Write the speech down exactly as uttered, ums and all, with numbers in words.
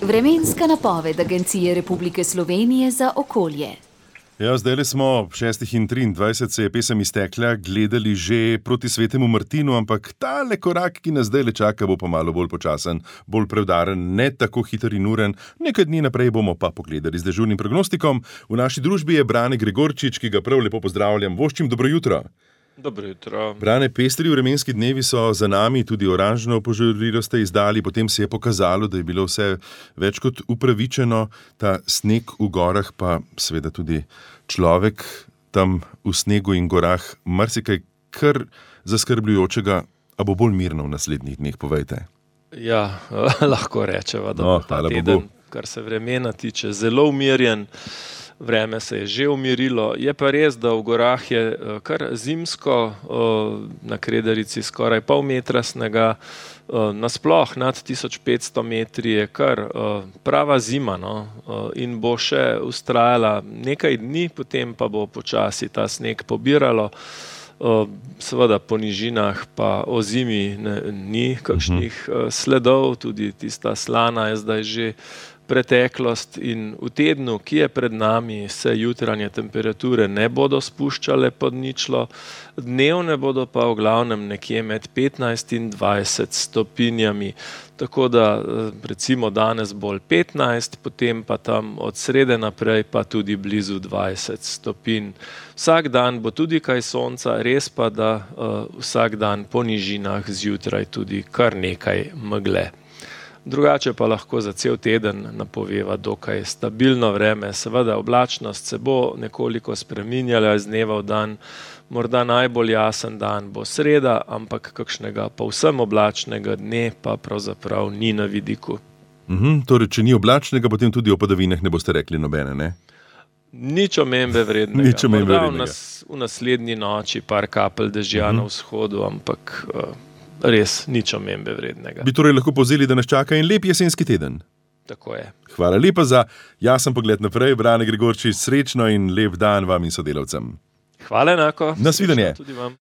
Vremenska napoved Agencije Republike Slovenije za okolje. Ja, zdaj smo ob šestih in triindvajset, se je pesem iztekla, gledali že proti Svetemu Martinu, ampak tale korak, ki nas zdaj le čaka, bo pa malo bolj počasen, bolj prevdaren, ne tako hiter in uren. Nekaj dni naprej bomo pa pogledali z dežurnim prognostikom. V naši družbi je Brane Gregorčič, ki ga prav lepo pozdravljam. Voščim, dobro jutro. Dobro jutro. Brane, pestri vremenski dnevi so za nami, tudi oranžno opožarilo ste izdali, potem se je pokazalo, da je bilo vse več kot upravičeno, ta sneg v gorah, pa seveda tudi človek tam v snegu in gorah, marsikaj kar zaskrbljujočega, a bo bolj mirno v naslednjih dneh, povejte. Ja, lahko rečeva, da No, bo ta hvala teden, Bogu. kar se vremena tiče, zelo umirjen. Vreme se je že umirilo. Je pa res, da v gorah je eh, kar zimsko, eh, na Kredarici skoraj pol metra snega, eh, nasploh nad tisoč petsto metri je kar eh, prava zima, no, eh, in bo še vztrajala nekaj dni, potem pa bo počasi ta sneg pobiralo. Eh, seveda po nižinah pa o zimi ne, ni kakšnih eh, sledov, tudi tista slana je zdaj že preteklost, in v tednu, ki je pred nami, se jutranje temperature ne bodo spuščale pod ničlo, dnevne bodo pa v glavnem nekje med petnajst in dvajset stopinjami. Tako da recimo danes bolj petnajst, potem pa tam od srede naprej pa tudi blizu dvajset stopinj. Vsak dan bo tudi kaj sonca, res pa, da uh, vsak dan po nižinah zjutraj tudi kar nekaj megle. Drugače pa lahko za cel teden napoveva dokaj stabilno vreme. Seveda oblačnost se bo nekoliko spreminjala iz dneva v dan. Morda najbolj jasen dan bo sreda, ampak kakšnega povsem oblačnega dne pa pravzaprav ni na vidiku. Mhm, torej, če ni oblačnega, potem tudi o padavinah ne boste rekli nobene, ne? Nič omembe vrednega. Nič omembe Morda v, vrednega. nas, v naslednji noči par kapelj dežja na vzhodu, ampak uh, res nič omembe vrednega. Bi torej lahko povzeli, da nas čaka en lep jesenski teden. Tako je. Hvala lepa za jasen pogled naprej, Brane Gregorčič, srečno in lep dan vam in sodelavcem. Hvala enako. Nasvidenje. Srečno tudi vam.